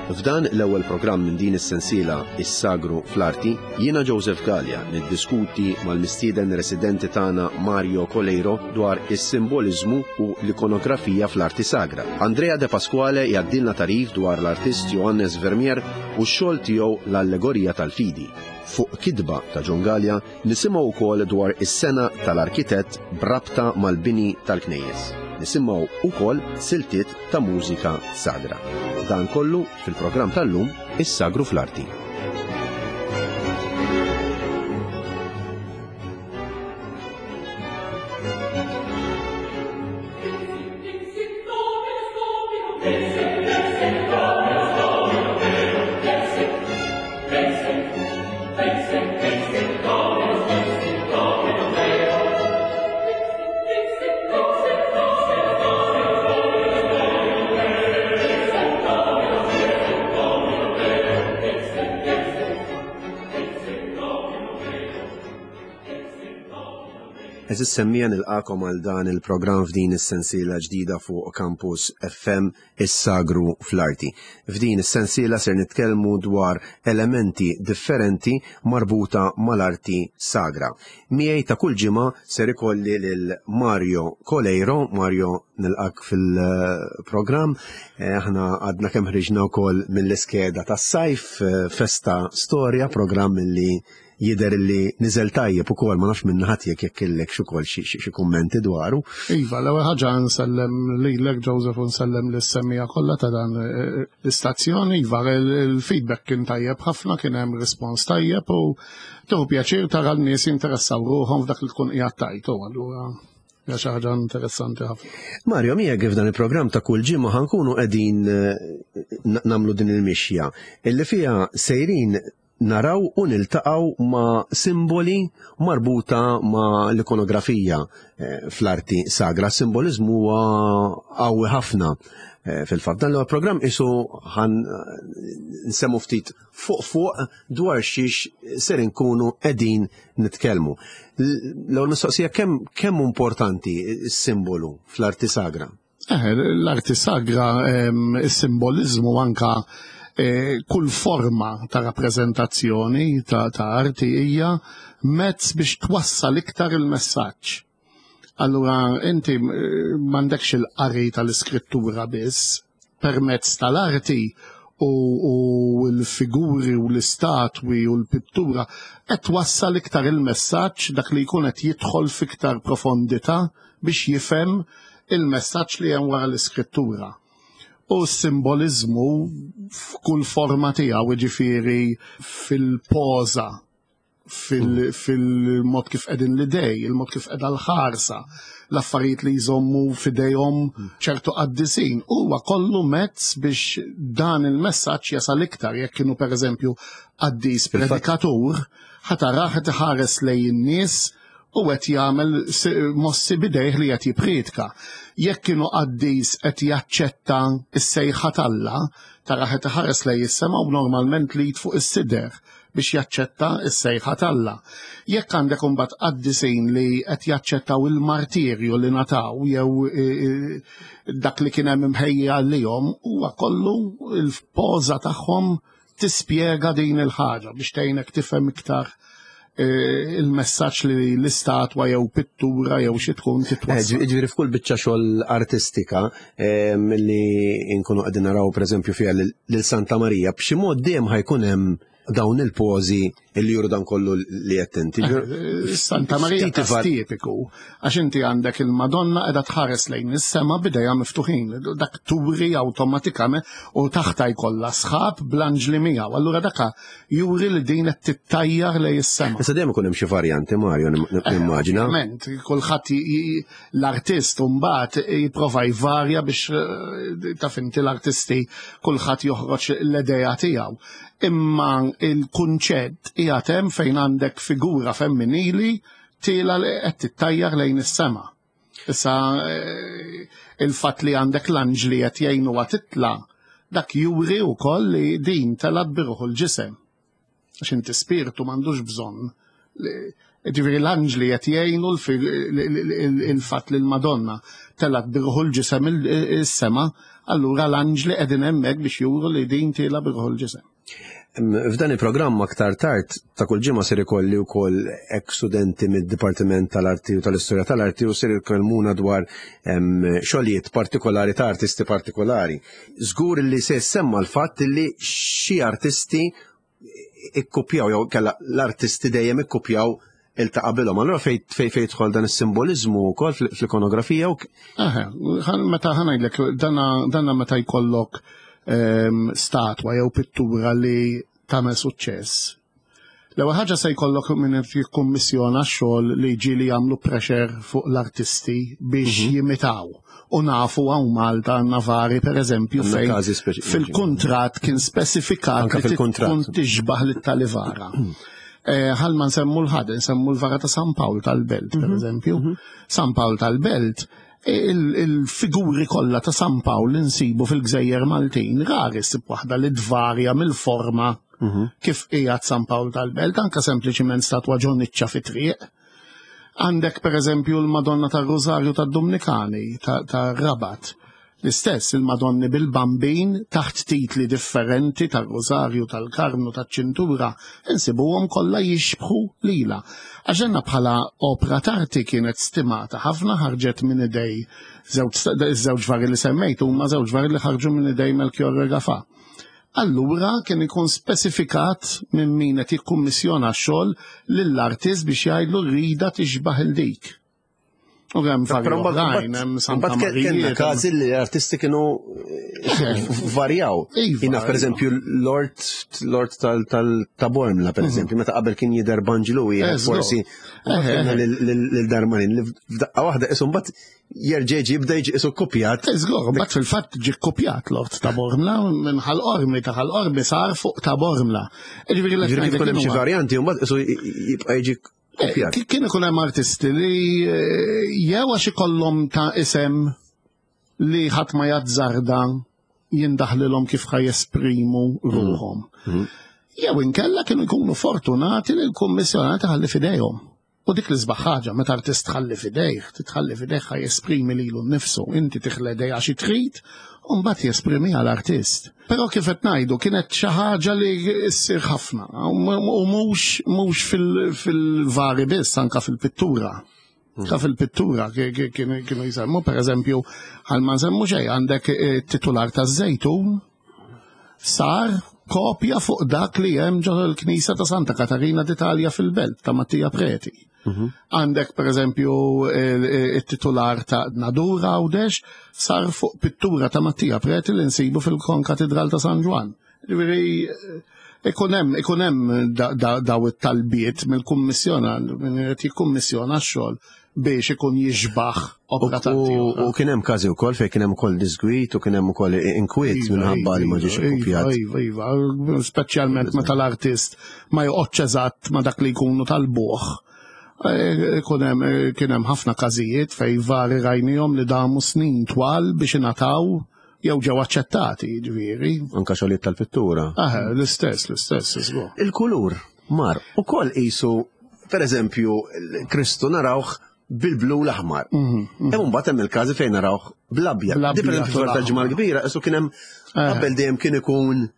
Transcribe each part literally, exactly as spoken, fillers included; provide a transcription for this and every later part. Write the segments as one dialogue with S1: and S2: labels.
S1: F'dan l-ewwel programm minn din is-sensiela Is-Sagru fl-Arti, jiena Joseph Galea niddiskuti mal-mistieden residenti tagħna Mario Coleiro dwar is-simboliżmu u l-ikonografija fl-arti sagra. Andrea De Pasquale jgħaddilna tagħrif dwar l-artist Johannes Vermeer u x-xogħol tiegħu l-Allegorija tal-Fidi. Fuq kitba ta' John Galea nisimgħu wkoll dwar is-sengħa tal-arkitett b'rabta mal-bini tal-knejjes. Nisimgħu wkoll siltiet ta' mużika sagra. Dan kollu fil-programm tal-lum Is-Sagru fl-Arti. Għeżież semmiegħa, nilqakom għal dan il-programm f'din is-sensiela ġdida fuq Campus F M Is-Sagru fl-Arti. F'din is-sensiela ser nitkellmu dwar elementi differenti marbuta mal-arti sagra. Miegħi ta' kull ġimgħa ser ikolli lil Mario Coleiro. Mario, nilqak fil-programm. Eh, aħna għadna kemm ħriġna wkoll mill-iskeda tas-sajf, eh, Festa Storja, programm li jider li niżel tajjeb ukoll, ma nafx minn ħadd jekk jekk kellek xi ukoll xi, xi, xi kummenti dwaru.
S2: Iva, l-ewwel ħaġa nsellem lilek Joseph u nsellem lis-semmija kollha ta' dan, eh, l-istazzjon. Iva, il-, il-feedback kien tajjeb ħafna, kien hemm rispons tajjeb u tieħu pjaċir tara n-nies jinteressaw ruħhom f'dak li tkun qiegħed tajt, u allura hija xi ħaġa interessanti ħafna.
S1: Mario, miegħek f'dan il-programm ta' kull ġimgħa ħankunu qegħdin, eh, na-, nagħmlu din il-mixja illi fiha sejrin naraw u niltaqgħu ma' simboli marbuta ma' l-ikonografija, eh, fl-arti sagra. Simbolizmu huwa qawwi ħafna, eh, fil-fatt. Dan l-programm isu ħan, eh, nsemmu ftit fuq fuq dwar xiex ser inkunu qegħdin nitkellmu. L-, l-ewwel mistoqsija, kemm, kemm importanti s-simbolu fl-arti sagra?
S2: Eh, l-arti sagra, ehm, is-simbolizmu anka, eh, kull forma ta' rappreżentazzjoni ta', ta' arti hija mezz biex twassal iktar il-messaġġ. Allura inti, eh, m'għandekx il-qari tal-iskrittura biss, permezz tal-arti u, u l-figuri u l-istatwi u l-pittura qed twassal iktar il-messaġġ, dak li jkun qed jidħol f'iktar profondità biex jifhem il-messaġġ li hemm wara l-iskrittura. U s-simbolizmu f'kull forma tiegħu, jiġifieri fil-poża, fil-, fil-mod kif qegħdin l-idej, il-mod kif qiegħda l-ħarsa, l-affarijiet li jżommu f'idejhom ċertu qaddisin, huwa kollu mezz biex dan il-messaġġ jasal iktar. Jekk kienu pereżempju qaddis
S1: Fil-fatt
S2: predikatur, ħatarah qed iħares lejn in-nies u qed jagħmel si-, mossi bidejh li qed jippriedka. Jekk kienu qaddis qed jaċċetta s-sejħa t'Alla, tara qed iħares lejn is-sema u normalment li fuq is-sider biex jaċċetta s-sejħa t'Alla. Jekk għandek imbagħad qaddisin li qed jaċċettaw il-martirju li nataw jew, e, e, dak li kien hemm imħejja għalihom, huwa kollu il-poża tagħhom tispjega din il-ħaġa biex tgħinek tifhem iktar, eh, il-messaġġ li l-istatwa jew pittura jew xi tkun titwassal.
S1: Eh, ġi-, ġifieri f'kull biċċa xogħol artistika, eh, li nkunu qegħdin naraw pereżempju fiha lil, lil Santa Marija, b'xi mod dejjem ħajkun hemm dawn il-pożi li juru dan kollu li qed inti.
S2: Eh, Santa Marija
S1: Ftit
S2: każ
S1: ivar-
S2: tipiku, għax inti għandek il-Madonna qiegħda tħares lejn is-sema b'idejha miftuħin, dak turi awtomatikament u taħta jkollha sħab bl-anġli miegħu. Allura daka juri li din qed tittajjar lejn is-sema.
S1: Issa dejjem ikun hemm xi varjanti, Mario, nim-, nim-,
S2: Eh,
S1: nimmaġina.
S2: Ovvjament, kulħadd j-, j-, l-artist mbagħad jipprova jvarja biex, eh, taf inti l-artisti kulħadd joħroġ l-idea tiegħu. Imma il-kunċett qiegħed hemm fejn għandek figura femminili tiela li qed tittajjar lejn is-sema. Issa, eh, il-fatt li għandek l-anġli qed jgħinuha titla', dak juri wkoll li din telgħet biruħu l-ġisem. Għax inti spiritu m'għandux bżonn li Ġifieri l-anġli qed jgħinu il-fatt li l-Madonna telgħet bir-ruħ u l-ġisem is-sema, allura l-anġli qegħdin hemmhekk biex juru li din tiela bir-ruħ u l-ġisem.
S1: F'dan il-programm aktar tard ta' kull ġimgħa ser ikolli wkoll ex studenti mid-Dipartiment tal-Arti u tal-Istorja tal-Arti u ser ikellmuna dwar xogħlijiet partikolari ta' artisti partikolari. Żgur li se semma l-fatt li xi artisti ikkupjaw jew kella l-artisti dejjem ikkupjaw il ta' qabilhom. Allura fej fej fej jidħol dan is-simboliżmu wkoll fl-ikonografija u
S2: Meta ħa ngħidlek dana meta jkollok statwa jew pittura li tagħmel suċċess. L-ewwel ħaġa se jkollok min jikkummissjona x-xogħol li ġieli jagħmlu pressure fuq l-artisti biex mhm. jimitaw. U nafu hawn Malta għandna vari, per eżempju, fejn fil-kuntratt kien spesifikat li tkun tixbaħ lit-talivara. Eh, ħal ma nsemmu l-ħad, nsemmu l-vara ta' San Pawl tal-Belt, per mhm. eżempju. Mhm. San Pawl tal-Belt, il-figuri kollha ta' San Pawl li nsibu fil-Gżejjer Maltin, rari ssib waħda li tvarja mill-forma mhm. kif qiegħed San Pawl tal-Belt, anka sempliċiment statwa ġo niċċa fi triq. Għandek, per eżempju, l-Madonna tar-Rosario tad-Dominikani ta' Rabat. L-istess il-Madonni bil-Bambin taħt titli differenti tal-Rosario, tal-Karmnu, tal-ċintura, insibuhom kollha jixbħu lila. Għax bħala opra t'arti kienet stimata ħafna, ħarġet minn idej żewġ vari li semmejt huma żewġ vari li ħarġu minn idej Melchior Gafà. Allura kien ikun spesifikat minn min qed jikkummissjona x-xogħol lill-artist biex jgħidlu rida tixbaħ il dik. U hemm vari oħrajn, hemm Santa Marija.
S1: Każi li l-artisti kienu eh, varjaw.
S2: Iva,
S1: Jina, per eżempju, Lord Lord tal-Bormla, per mhm. eżempju, meta qabel kien jidher Banġlu,
S2: eh,
S1: forsi lil Darmanin, li f'daqqa waħda isu mbagħad jerġa' jibda jiġi isu kopjat.
S2: Żgur, mbagħad fil-fatt ġi kopjat Lord ta' Bormla minn Ħal Qormi, ta' Ħal Qormi sar fuq ta' Bormla.
S1: Ġifieri kif hemm xi varjanti u mbagħad isu jibqa' jiġi
S2: eh, Kien ikun hemm artisti li eh, jew għax ikollhom ta' isem li ħadd ma jazzarda jindaħlilhom kif ħa jesprimu ruħhom.
S1: Mhm.
S2: Jew inkella kienu jkunu fortunati li l-kummissjonati ħalli fidejhom. U dik l-isbaħ ħaġa, meta artist tħalli fidejh, titħalli fidejh ħa jesprimi lilu nnifsu, inti tiħledej għax trid, u mbagħad jesprimi għall-artist. Però kif qed ngħidu, kienet xi ħaġa li ssir ħafna, u mhux mhux fil-vari biss, anka fil-pittura. Anka fil-pittura kienu jsemmu, per eżempju, għal ma nsemmu xejn, għandek eh, titular taż-Żejtun sar kopja fuq dak li hemm ġo l-Knisja ta' Santa Katarina d'Italja fil-Belt ta' Mattia Preti.
S1: Mhm.
S2: Għandek, per eżempju, il-titular ta' Nadur Għawdex sar fuq pittura ta' Mattia Preti li nsibu fil-Konkatedral ta' San Ġwann. Ġifieri ikun hemm ikun hemm daw it-talbiet mill-kummissjona, min irid jikkummissjona x-xogħol biex ikun jixbaħ opra ta'
S1: U kien hemm każi wkoll fejn kien hemm ukoll disgwit u kien hemm ukoll inkwiet
S2: Iva,
S1: minħabba li ma
S2: iva,
S1: ġiex
S2: iva,
S1: ikkupjat.
S2: Iva, iva, speċjalment meta l-artist ma joqgħodx eżatt ma dak li jkunu tal-buħ. Eh, ikun hemm, eh, kien hemm ħafna każijiet fejn vari rajnihom li damu snin twal biex ingħataw jew ġew aċċettati, ġifieri.
S1: Anka xogħlijiet tal-pittura.
S2: Ah, l-istess, l-istess, żgur.
S1: Il-kulur mar ukoll qisu, per eżempju, Kristu narawh bil-blu l-aħmar.
S2: Mhm, mhm.
S1: Hemm mbagħad hemm il-każi fejn narawh bl-abjad.
S2: Bl-abjad
S1: Di per eżempju
S2: u l-aħmar.
S1: tal-Ġimgħa l-Kbira, qisu kien hemm
S2: Eh.
S1: qabel dejjem kien ikun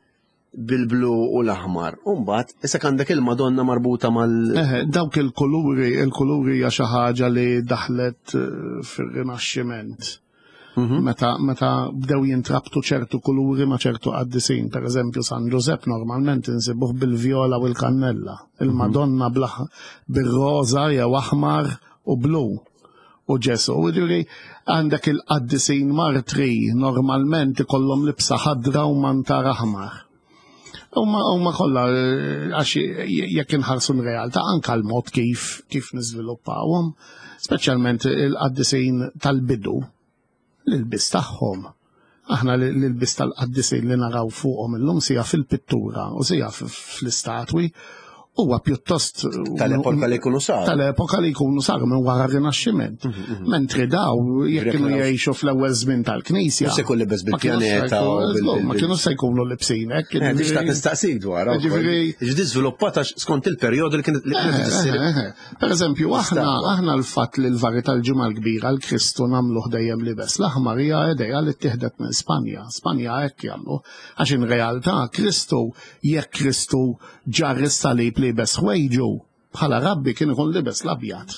S1: bil-blu u l-aħmar. U mbagħad issa għandek il-Madonna marbuta mal
S2: Eh, dawk il-kuluri, il-kuluri hija xi ħaġa li daħlet eh, fir-Rinaxximent.
S1: Mhm.
S2: Meta, meta bdew jintrabtu ċertu kuluri ma' ċertu qaddisin, per eżempju San Giuseppe normalment insibuh bil-vjola u l-kannella, il-Madonna bl- bil-roża jew aħmar u blu. U Ġesu, ġifieri għandek il-qaddisin martri normalment ikollhom libsa ħadra u mantar aħmar. Huma huma kollha eh, għax jekk inħarsu l-realtà anka l-mod kif kif niżviluppawhom, speċjalment il-qaddisin tal-bidu, l-ilbis tagħhom. Aħna l-ilbis tal-qaddisin li naraw fuqhom illum sija fil-pittura u sija fl-istatwi huwa pjuttost
S1: tal-epoka li jkunu saru.
S2: Tal-epoka li jkunu saru minn wara r-Rinaxximent. Mentri daw jekk kienu jgħixu fl-ewwel żmien tal-Knisja.
S1: Se jkun libes bil-pjaneta.
S2: Ma kienu se jkunu libsin hekk.
S1: Tixtaq nistaqsik dwar.
S2: Ġifieri
S1: ġiet żviluppata skont il-perjodu li kienet issir.
S2: Per eżempju, aħna aħna l-fatt li l-vari tal-Ġimgħa l-Kbira l-Kristu nagħmluh dejjem libes l-aħmar hija idea li ttieħdet minn Spanja. Spanja hekk jagħmlu. Għax in realtà Kristu jekk Kristu ġarr is-salib libes ħwejġu bħala rabbi kien ikun libes l-abjad.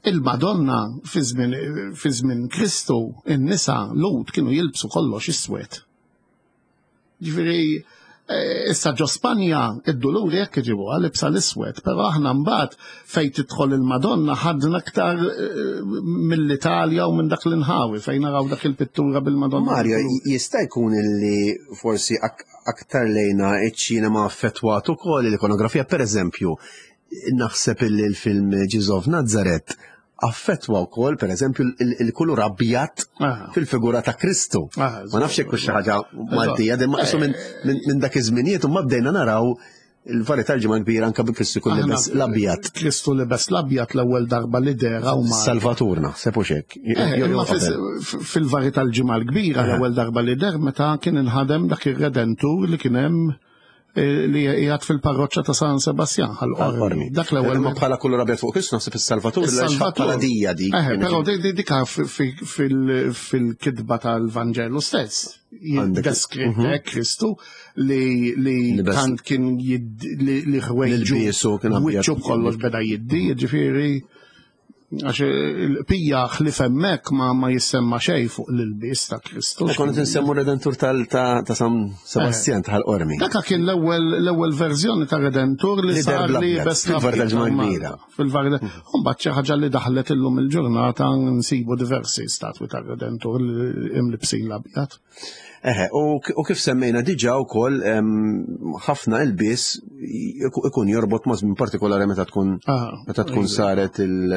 S2: Il-Madonna fi żmien Kristu in-nisa Lhud kienu jilbsu kollox iswed. Ġifieri issa ġo Spanja id-duluri jekk iġibuha libsa l-iswed, però aħna mbagħad fejn tidħol il-Madonna ħadna aktar mill-Italja u minn dak l-inħawi fejn naraw dak il-pittura bil-Madonna.
S1: Mario, jista' jkun illi forsi aktar lejna iċ-ċinema affettwat ukoll l-ikonografija, per eżempju, naħseb illi l-film Jesus of Nazareth affettwa wkoll per eżempju il-kulur abjad fil-figura ta' Kristu. Ma nafx hekk xi ħaġa Maltija, imma qisu minn dak iż-żminijiet u ma bdejna naraw il-vari tal-Ġimgħa Kbira anke bi Kristu jkun libes l-abjad.
S2: Kristu libes l-abjad l-ewwel darba li dehra u ma.
S1: Salvatur naħseb u x'hekk.
S2: Fil-vari tal-Ġimgħa l-Kbira l-ewwel darba li deher meta kien inħadem dak ir-Redentur li kien hemm li qiegħed fil-parroċċa ta' San Sebastian ħal-Qormi.
S1: Dak l-ewwel ma bħala kulur abjad fuq Kristu naħseb is-Salvatur
S2: is-Salvatur
S1: dija dik.
S2: Però dik fil-kitba tal-Vanġelu stess jiddeskrive Kristu li li tant kien li ħwejġu wiċċu kollox beda jiddi, jiġifieri għax il-pija ħlif hemmhekk ma ma jissemma xejn fuq l-ilbies ta' Kristu.
S1: Kont insemmu Redentur tal ta' San Sebastian tal-Qormi.
S2: Dak kien l-ewwel l-ewwel verżjoni ta' Redentur li sar li bes
S1: fil-vari tal-Ġimgħa Kbira.
S2: Fil-vari mbagħad xi ħaġa li daħlet illum il-ġurnata nsibu diversi statwi ta' Redentur li imlibsin l-abjad.
S1: Eħe, u kif semmejna diġà wkoll ħafna ilbies ikun jorbot ma' żmien partikolari meta tkun meta tkun saret il-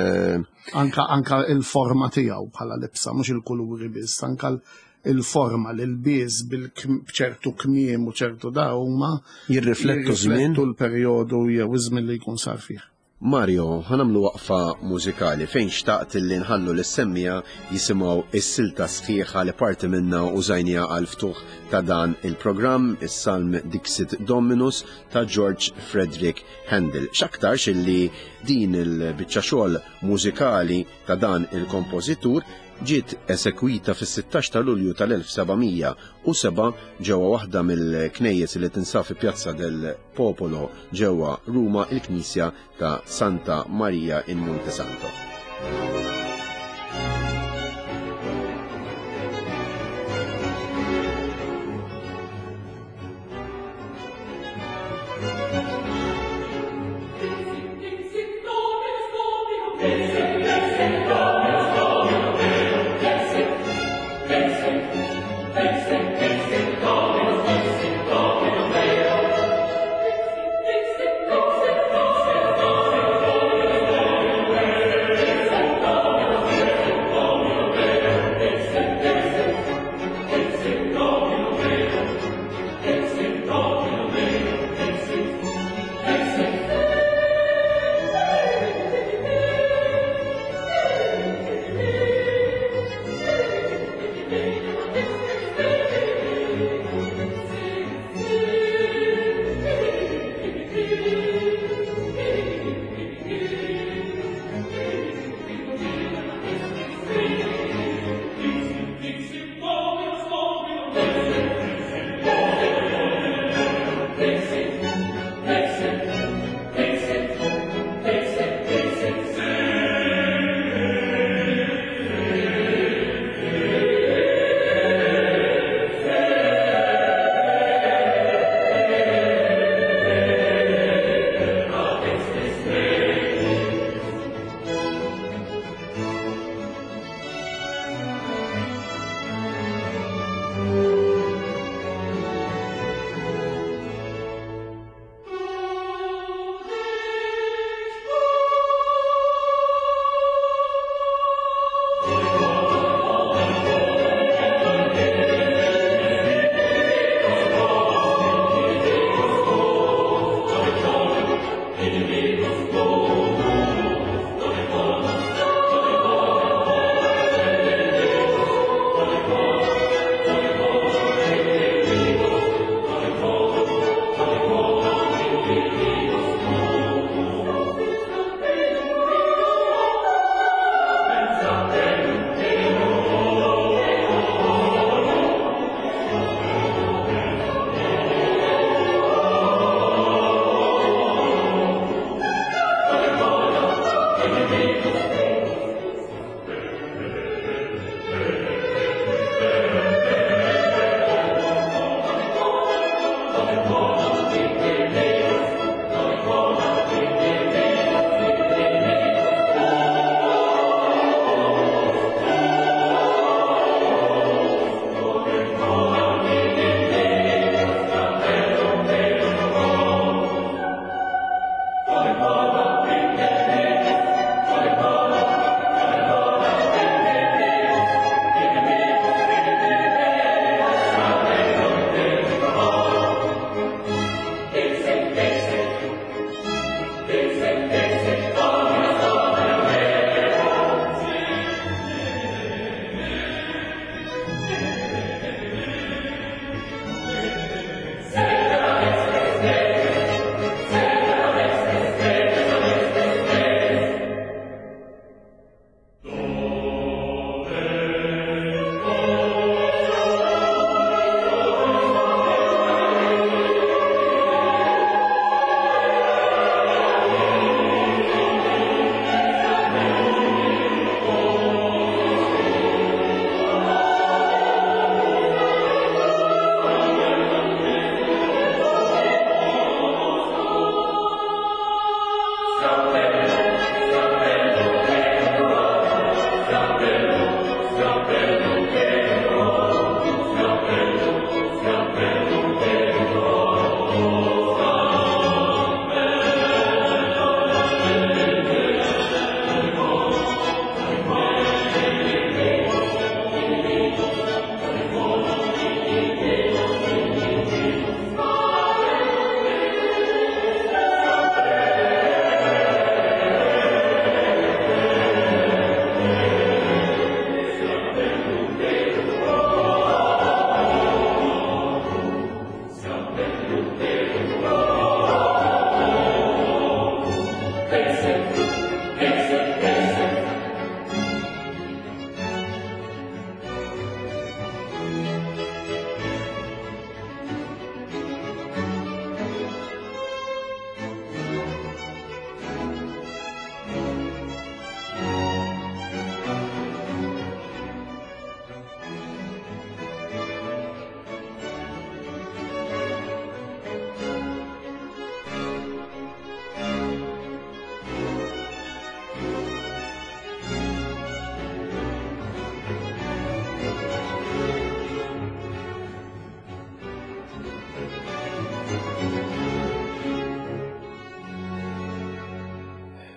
S2: Anka anka il-forma tiegħu bħala libsa, mhux il-kuluri biss, anka il-forma l-ilbies bil-ċertu kmiem u ċertu da huma
S1: jirriflettu żmien
S2: l-perjodu jew iż-żmien li jkun sar fih.
S1: Mario, ħanamlu waqfa mużikali fejn xtaqt li nħallu l-semmija jisimgħu is-silta sħiħa li parti minna użajnija għal ftuħ ta' dan il-programm, is-Salm Dixit Dominus ta' George Frederick Handel. X'aktarx illi din il-biċċa xogħol mużikali ta' dan il-kompożitur ġiet esekwita fis-sittax ta' Lulju tal-elf seba' mija u seba' ġewwa waħda mill-knejjes li tinsab fi Piazza del Popolo ġewwa Ruma, il-Knisja ta' Santa Maria in Montesanto.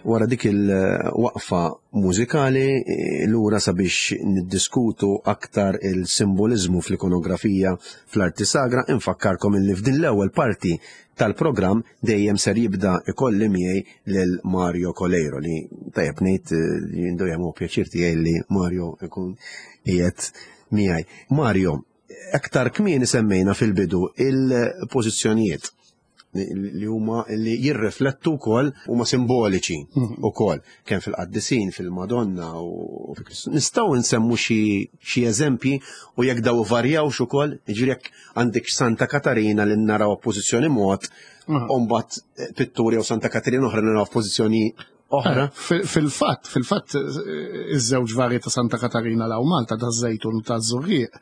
S1: Wara dik il-waqfa mużikali lura sabiex niddiskutu aktar il-simboliżmu fl-ikonografija fl-arti sagra, infakkarkom illi f'din l-ewwel parti tal-programm dejjem ser jibda ikolli miegħi lil Mario Coleiro li tajjeb ngħid jindu jagħmlu pjaċir tiegħi li Mario ikun qiegħed miegħi. Mario, aktar kmieni semmejna fil-bidu il-pożizzjonijiet li huma li jirriflettu wkoll huma simboliċi wkoll kemm fil-qaddisin, fil-Madonna u fi Kristu. Nistgħu nsemmu xi eżempji u jekk daw varjawx ukoll, jiġifieri jekk għandek Santa Katarina li naraw pożizzjoni mod, u mbagħad pitturi jew Santa Katarina oħra naraw pożizzjoni oħra.
S2: Fil-fatt, fil-fatt iż-żewġ vari ta' Santa Katarina law Malta ta' Żejtun u ta' Żurrieq.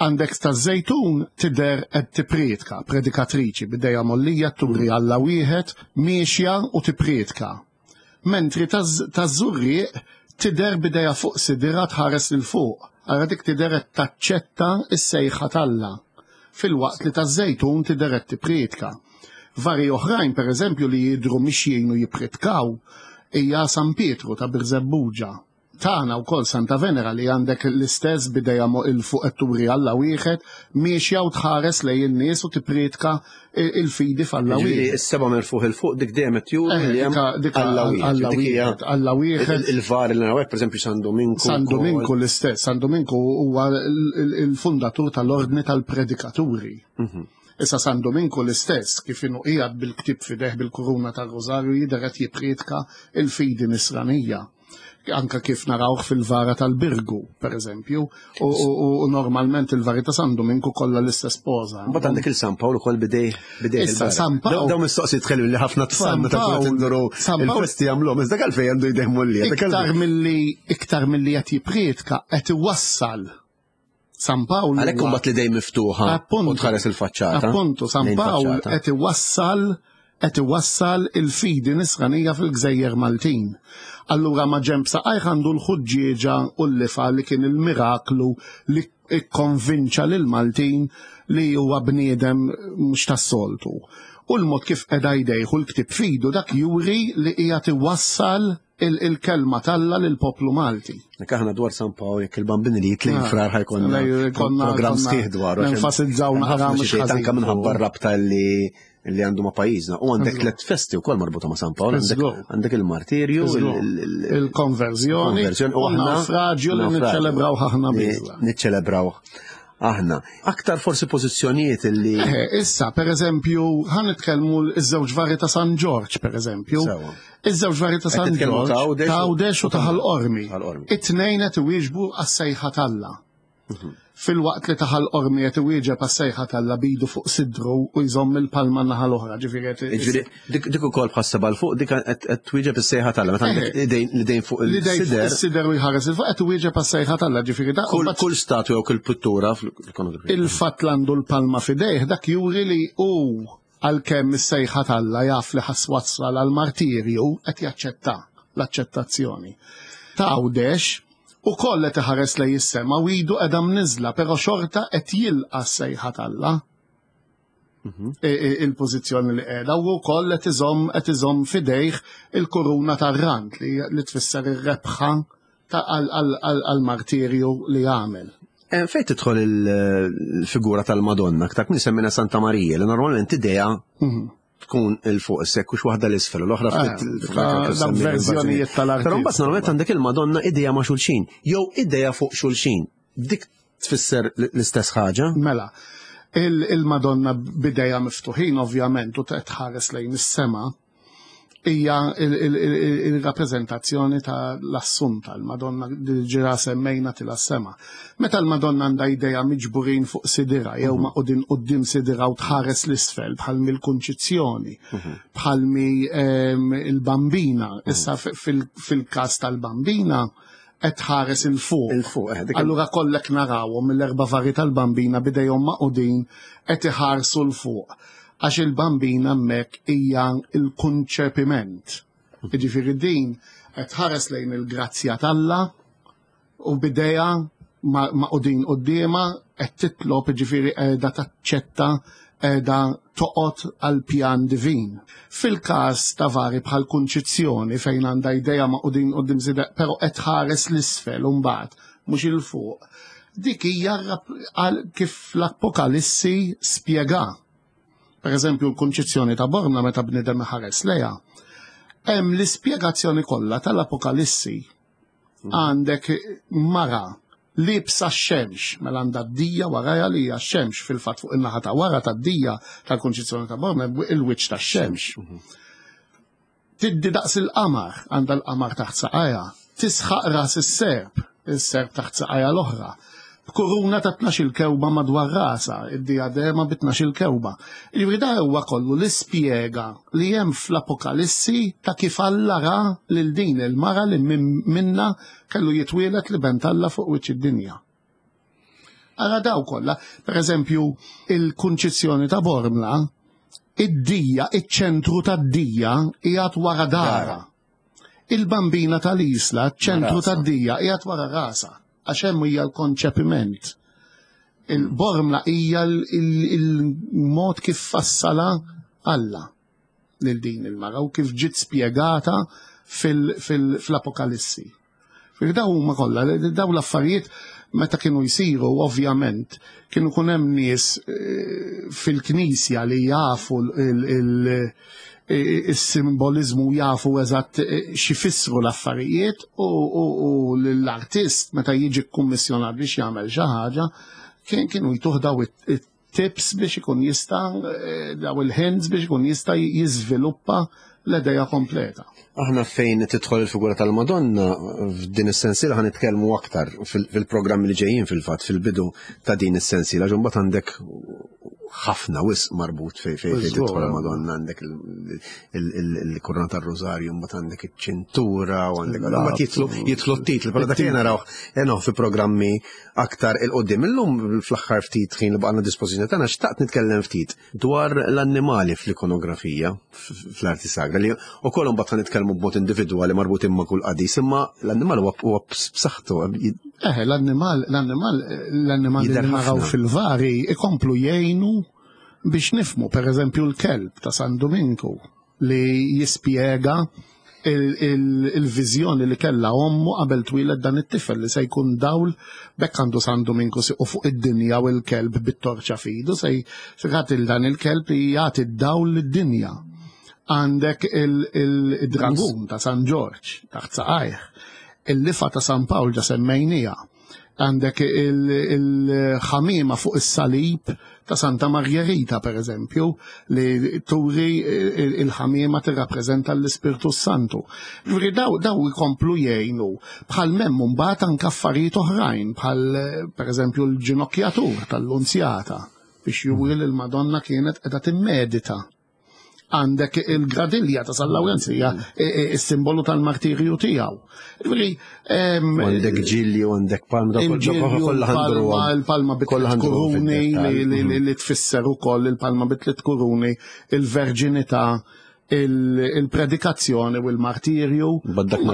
S2: Għandek ta' Żejtun tidher qed tipprietka, predikatriċi, bidejja mollija turi Alla wieħed, miexja u tipprietka. Mentri ta' Żurrieq tidher bidejja fuq sidira tħares lil fuq, ara dik tidher qed taċċetta s-sejħa t'Alla. Fil-waqt li ta' Żejtun tidher qed tipprietka. Vari oħrajn, per eżempju, li jidhru mixjin u jippritkaw, hija San Pietru ta' Birżebbuġa. Tagħna wkoll Santa Venera li għandek l-istess bidejja il fuq qed turi Alla wieħed, miexja u tħares lejn in-nies u tipprietka il-fidi f'Alla wieħed.
S1: Is-seba' merfuħ il fuq dik dejjem qed juri li hemm Alla
S2: wieħed. Alla wieħed.
S1: Il-var li naraw hekk, pereżempju San Dominku.
S2: San Dominku l-istess, San Dominku huwa il-fundatur tal-ordni tal-predikaturi. Issa San Dominku l-istess kif inhu qiegħed bil-ktieb f'idejh bil-kuruna tar-Rożarju jidher qed jipprietka il-fidi nisranija. Anka kif narawh fil-vara tal-Birgu, per eżempju, u normalment il-vari ta' San Dominku kollha l-istess poża.
S1: Mbagħad għandek il-San Pawl ukoll bidej bidej.
S2: Issa San Pawl.
S1: Dawn mistoqsijiet tħellu li ħafna tfal meta kont induru il-festi jagħmluhom, iżda għalfejn għandu jdejh mollija.
S2: Iktar milli iktar milli qed jipprietka qed iwassal San Pawl.
S1: Għalhekk imbagħad li dejjem miftuħa u tħares il-faċċata.
S2: Appuntu, San Pawl qed iwassal qed iwassal il-fidi nisranija fil-Gżejjer Maltin. Allura ma ġemp saqajh għandu l-ħuġġieġa u l-lifa li kien il-miraklu li ikkonvinċa lil Maltin li huwa bniedem mhux tas-soltu. U l-mod kif qiegħda jdejh u l-ktieb fidu dak juri li qiegħed iwassal il-kelma t'Alla lill-poplu Malti.
S1: Nek aħna dwar San Pawl jekk il-bambini li jitlejn frar ħajkonna programm sħiħ dwaru.
S2: Nenfasizzaw naqra mhux
S1: ħażin. Anke minħabba r-rabta li li għandu ma' pajjiżna. U għandek tliet festi wkoll marbuta ma' San Pawl, għandek il-martirju,
S2: il-konverżjoni, u naufraġju li niċċelebraw aħna biżla.
S1: Niċċelebraw aħna. Aktar forsi pożizzjonijiet li.
S2: Issa, per eżempju, ħa nitkellmu iż-żewġ vari ta' San Ġorġ, per eżempju. Iż-żewġ vari ta' San Ġorġ, ta' Għawdex u ta' Ħal Qormi. It-tnejn qed iwieġbu għas-sejħa t'Alla. Fil-waqt li ta' Ħal Qormi qed iwieġeb għas-sejħa t'Alla bidu fuq sidru u jżomm il-palma naħa l-oħra, ġifieri
S1: qed. Dik ukoll bħas-seba' l fuq dik qed twieġeb is-sejħa t'Alla, meta għandek l-idejn fuq
S2: il-sider. Is-sider u jħares il fuq qed iwieġeb għas-sejħa t'Alla, ġifieri
S1: dak. Kull statwa jew kull pittura fl-ikonografija.
S2: Il-fatt li għandu l-palma f'idejh dak juri li hu għalkemm is-sejħa t'Alla jaf li ħass wassal għall-martirju qed jaċċetta l-aċċettazzjoni. Ta' Għawdex u koll qed iħares lejn is-sema u idu qiegħda mniżla, però xorta qed jilqa' s-sejħa t'Alla. Il-pożizzjoni li qiegħda u wkoll qed iżomm qed iżomm f'idejh il-kuruna tar-rand li tfisser ir-rebħa għall-martirju li għamel.
S1: Fejn tidħol il-figura tal-Madonna, aktar kien semmina Santa Marija, li normalment idea tkun il-fuq sekk u waħda l-isfel u l-oħra
S2: ftit verżjonijiet tal-arti.
S1: Però mbagħad normalment għandek il-Madonna idea ma' xulxin, jew idea fuq xulxin. Dik tfisser l-istess ħaġa?
S2: Mela, il-Madonna b'idejha miftuħin ovvjament u tħares lejn is-sema hija il-rappreżentazzjoni tal-Assunta, il-Madonna li ġira semmejna til sema. Meta l-Madonna għandha idejha miġburin fuq sidira jew maqudin quddiem sidira u tħares l-isfel bħal mill-Kunċizzjoni, bħal mi il-Bambina, issa fil-każ tal-Bambina qed tħares il fuq. Allura kollek narawhom mill-erba' vari tal-Bambina bidejhom maqudin qed iħarsu l fuq. Għax il-Bambina hemmhekk hija l-kunċepiment. Jiġifieri din qed tħares lejn il-grazzja t'Alla u bidejha maqudin quddiemha qed titlob, jiġifieri qiegħda taċċetta qiegħda toqgħod għal pjan divin. Fil-każ ta' vari bħal Kunċizzjoni fejn għandha idejha magħqudin quddiem sidha, però qed tħares l-isfel u mbagħad mhux il fuq. Dik hija kif l-Apokalissi spjega. Per eżempju, l-Kunċizzjoni ta' Bormla meta bniedem ħares lejha, hemm l-ispjegazzjoni kollha tal-Apokalissi. Għandek mara libsa x-xemx, mela għandha d-dija warajha li hija x-xemx, fil-fatt fuq in-naħa ta' wara tad-dija tal-Kunċizzjoni ta' Bormla il-wiċċ tax-xemx. Tiddi daqs il-qamar, għandha l-qamar taħt saqajha, tisħaq ras is-serp, is-serp taħt saqajha l-oħra. B'kuruna ta' tnax-il kewba madwar rasa, id-diadema bi tnax-il kewba. Jiġifieri da huwa kollu l-ispjega li hemm fl-Apokalissi ta' kif Alla ra lil din il-mara li minna kellu jitwielet li bent Alla fuq wiċċ id-dinja. Ara daw kollha, per eżempju, il-Kunċizzjoni ta' Bormla, id-dija, iċ-ċentru tad-dija qiegħed wara dara. Il-Bambina tal-Isla, ċentru tad-dija qiegħed wara rasa, għax hemm hija l-konċepiment. Il-Bormla hija il-mod kif fassala Alla lil din il-mara u kif ġiet spjegata fil-Apokalissi. Daw huma kollha, daw l-affarijiet meta kienu jsiru, ovvjament, kienu kun hemm nies fil-knisja li jafu il-simbolizmu, jafu eżatt x'ifissru l-affarijiet u l-artist meta jiġi kkummissjonat biex jagħmel xi ħaġa kienu jtuh daw it-tips biex ikun jista' daw il-hints biex ikun jista' jiżviluppa l-idea kompleta.
S1: Aħna fejn tidħol il-figura tal-Madonna f'din is-sensiela ħa nitkellmu aktar fil-programmi li ġejjin, fil-fatt fil-bidu ta' din is-sensiela, għax imbagħad għandek ħafna wisq marbut fej fej fej tidħol il-Madonna, għandek il-kuruna tar-Rożarju, mbagħad għandek iċ-ċintura u għandek mbagħad jidħlu jidħlu t-titli, però dak li narawh fi programmi aktar 'il quddiem. Illum fl-aħħar ftit ħin li baqgħna dispożizzjoni tagħna xtaqt nitkellem ftit dwar l-annimali fl-ikonografija fl-arti sagra li wkoll imbagħad nitkellmu b'mod individwali marbutin ma' kull qaddis, imma l-annimal huwa b'saħħtu.
S2: Eh, l-annimal, l-annimal, l-annimal li naraw fil-vari ikomplu jgħinu biex nifmu, per eżempju, l-kelb ta' San Dominku li jispjega il-viżjoni li kella ommu qabel twieled dan it-tifel li se jkun dawl, bekk għandu San Dominku u fuq id-dinja u l-kelb bit-torċa fidu se jagħti dan il-kelb li jagħti d-dawl lid-dinja. Għandek il-dragun ta' San Ġorġ taħt saqajh, il-lifa ta' San Pawl ġa semmejnija, għandek il-ħamima fuq is-salib ta' Santa Margherita, per eżempju, li turi il-ħamima tirrappreżenta l-Ispirtu Santu. Ġifieri daw daw ikomplu jgħinu bħal memmu mbagħad anke affarijiet oħrajn, bħal per eżempju l-ġinokjatur tal-Lunzjata biex juri li l-Madonna kienet qiegħda timmedita. Għandek il-gradilja ta' San Lawrenz hija il-simbolu tal-martirju tiegħu. Ġifieri
S1: għandek ġilli u għandek palma,
S2: kollha il-palma bi tliet kuruni li tfisser ukoll il-palma bi tliet kuruni, il-verġinità, il-predikazzjoni u l-martirju.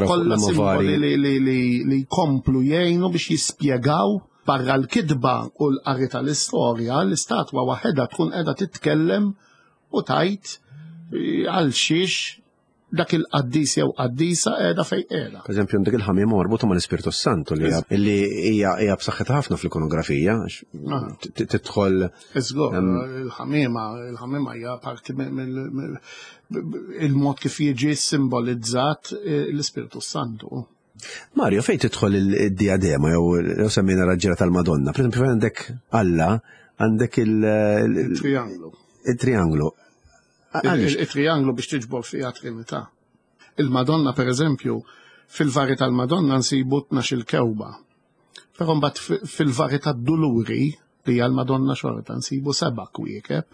S2: Kollha simboli li jkomplu jgħinu biex jispjegaw barra l-kidba u l-qari tal-istorja, l-istatwa waħedha tkun qiegħda titkellem u tajt għal xiex dak il-qaddis jew qaddisa qiegħda fejn qiegħda.
S1: Per eżempju, għandek il-ħamiem marbuta mal-Ispirtu Santu li hija hija b'saħħitha ħafna fl-ikonografija, tidħol.
S2: Iżgur, il-ħamiema, il-ħamiema hija parti il-mod kif jiġi simbolizzat l-Ispirtu Santu.
S1: Mario, fejn tidħol il-diadema jew semmejna raġġiera tal-Madonna? Per eżempju, fejn għandek Alla, għandek
S2: il-trianglu.
S1: Il-trianglu.
S2: Il-trianglu biex tiġbor fiha Trinità. Il-Madonna, per eżempju, fil-vari tal-Madonna nsibu tnax-il kewba. Però mbagħad fil-vari tad-Duluri, li hija l-Madonna xorta, nsibu seba' kwiekeb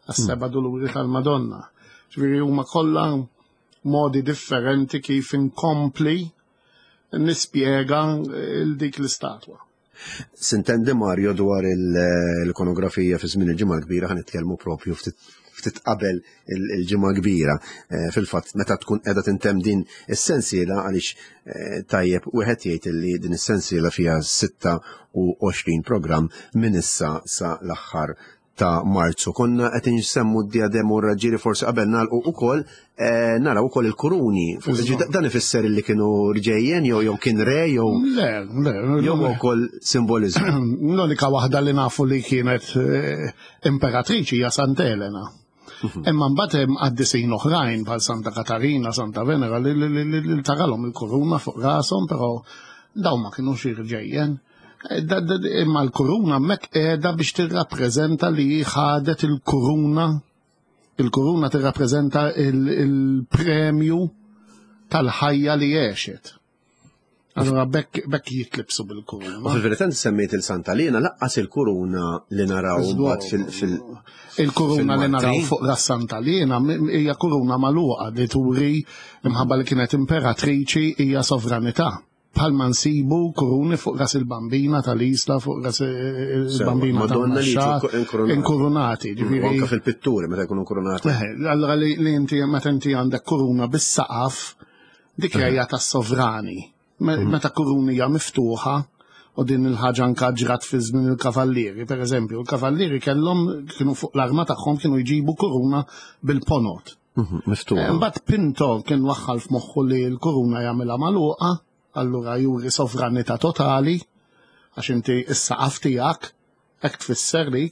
S2: għas-seba' Duluri tal-Madonna. Ġifieri huma kollha modi differenti kif inkompli nispjega dik l-istatwa.
S1: Sintendi Mario dwar l-ikonografija fi żmien il-Ġimgħa l-Kbira ħa nitkellmu propju ftit qabel il-Ġimgħa Kbira. Fil-fatt meta tkun qiegħda tintemm din is-sensiela, għaliex tajjeb wieħed jgħid li din is-sensiela fiha sitta u għoxrin programm minn issa sa l-aħħar ta' Marzu. Konna qed insemmu d-diadem u r-raġġieri, forsi qabel nagħlqu ukoll eh, naraw ukoll il-kuruni. Dan ifisser li kienu rġejjen jew jew kien re jew
S2: Le, le,
S1: jew ukoll simboliżmu.
S2: L-unika waħda li nafu li kienet eh, imperatriċi hija Santa Elena. Mhm. Imma mbagħad hemm qaddisin oħrajn bħal Santa Katarina, Santa Venera li, li, li, li taralhom il-kuruna fuq rashom, però dawn ma kinux irġejjen. Eh, imma l-kuruna hemmhekk qiegħda biex tirrappreżenta li ħadet il-kuruna. Il-kuruna tirrappreżenta il-premju tal-ħajja li għexet. Allora bekk bekk jitlibsu bil-kuruna.
S1: U fil-verità semmejt il-Santa Lena, laqqas il-kuruna li naraw mbagħad fil- fil
S2: Il-kuruna li naraw fuq ras Santa Lena hija kuruna magħluqa li turi imħabba li kienet imperatriċi, hija sovranità. Bħalma nsibu kuruni fuq ras il-Bambina tal-Isla, fuq ras il-Bambina
S1: Madonna li
S2: tal-Naxxar, inkurunati.
S1: Ġifieri anke fil-pitturi meta jkunu inkurunati.
S2: Allora li li inti meta inti għandek kuruna bis-saqaf, dik hija tas-sovrani. Meta kuruna hija miftuħa, u din il-ħaġa anka ġrat fi żmien il-kavallieri, per eżempju, il-kavallieri kellhom kienu fuq l-arma tagħhom kienu jġibu kuruna bil-ponot.
S1: Miftuħa.
S2: Mbagħad Pinto kien waħħal f'moħħu li l-kuruna jagħmilha magħluqa, allura juri sovranità totali, għax inti is-saqaf tiegħek hekk tfisser li,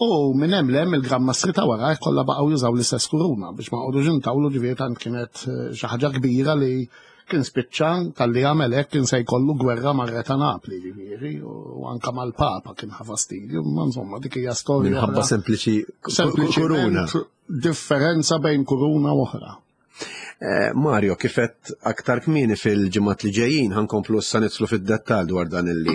S2: u minn hemm lem il-Gran Mastri ta' wara kollha baqgħu jużaw l-istess kuruna biex ma qogħdux intawlu, ġifieri tant kienet xi ħaġa kbira li kien spiċċa tal-li għamel hekk kien se jkollu gwerra mar-re ta' Napli, ġifieri, u anka mal-Papa kien ħa fastidju, ma insomma dik hija storja.
S1: Minħabba sempliċi kuruna.
S2: Differenza bejn kuruna u oħra.
S1: Mario, kifet aktar kmieni fil-ġimgħat li ġejjin ħankomplu issa nidħlu fid-dettall dwar dan illi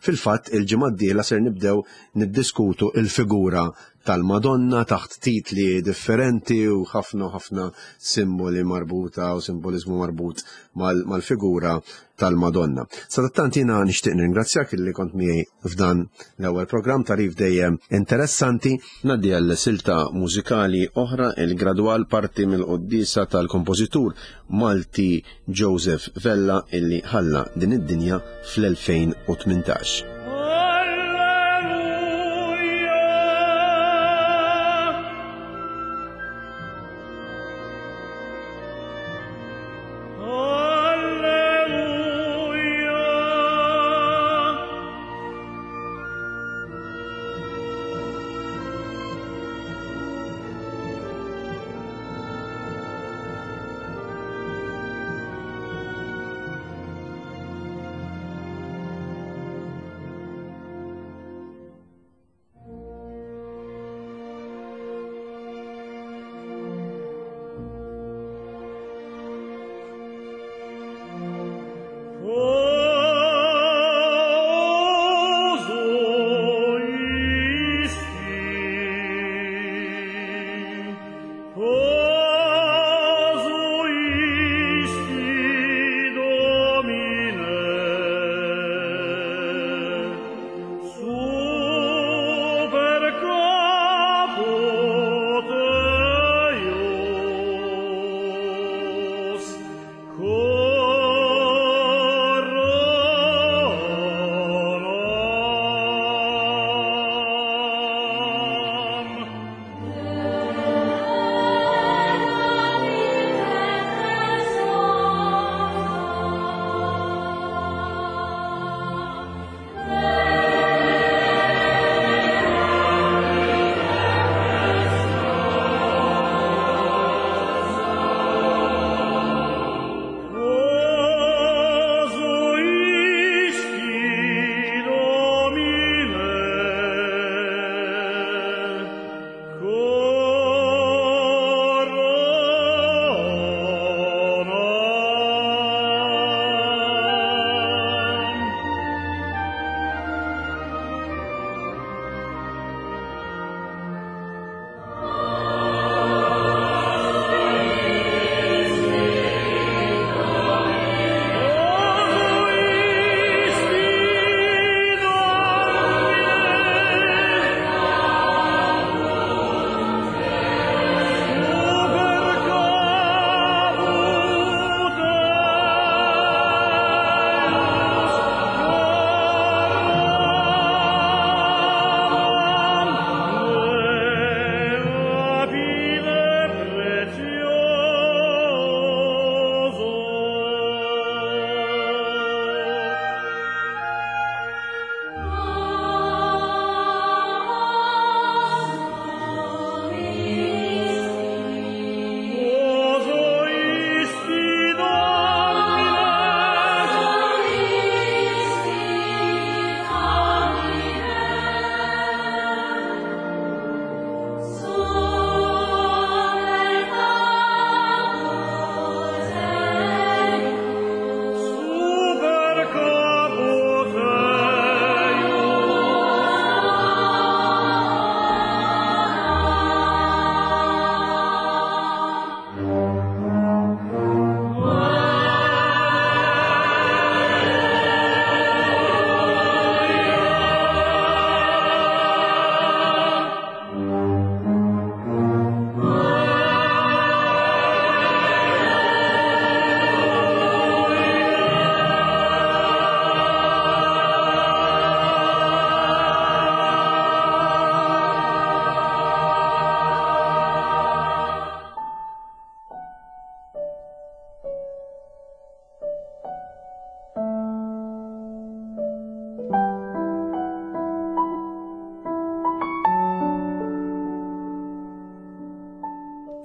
S1: fil-fatt il-ġimgħa d-dieħla ser nibdew niddiskutu il-figura tal-Madonna taħt titli differenti u ħafna ħafna simboli marbuta u simbolizmu marbut mal-figura tal-Madonna. Sadattant jiena nixtieq nirringrazzjak illi kont miegħi f'dan l-ewwel programm, tarif dejjem interessanti. Ngħaddi għal silta mużikali oħra, il-gradwal parti mill-qoddisa tal-kompożitur Malti Joseph Vella illi ħalla din id-dinja fl-elfejn u tmintax.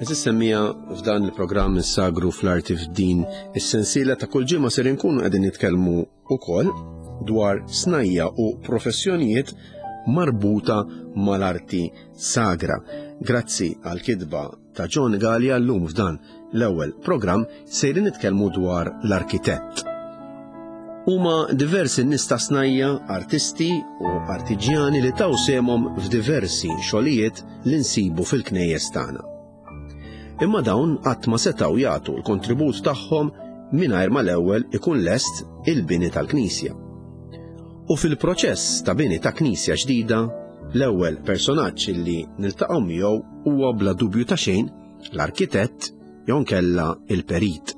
S1: Għeżież semmiegħa, f'dan il-programm Sagru fl-Arti, f'din is-sensiela ta' kull ġimgħa, ser inkunu qegħdin nitkellmu ukoll dwar snajja u professjonijiet marbuta mal-arti sagra. Grazzi għal kitba ta' John Gallia, llum f'dan l-ewwel programm sejrin nitkellmu dwar l-arkitett. Huma diversi nies ta' snajja, artisti u artiġjani li taw sehemhom f'diversi xogħlijiet li nsibu fil-knejjes tagħna. Imma dawn qatt ma setgħu jagħtu l-kontribut tagħhom mingħajr ma l-ewwel ikun lest il-bini tal-knisja. U fil-proċess ta' bini ta' knisja ġdida, l-ewwel personaġġ li niltaqgħu miegħu huwa bla dubju ta' xejn l-arkitett jew inkella il-perit.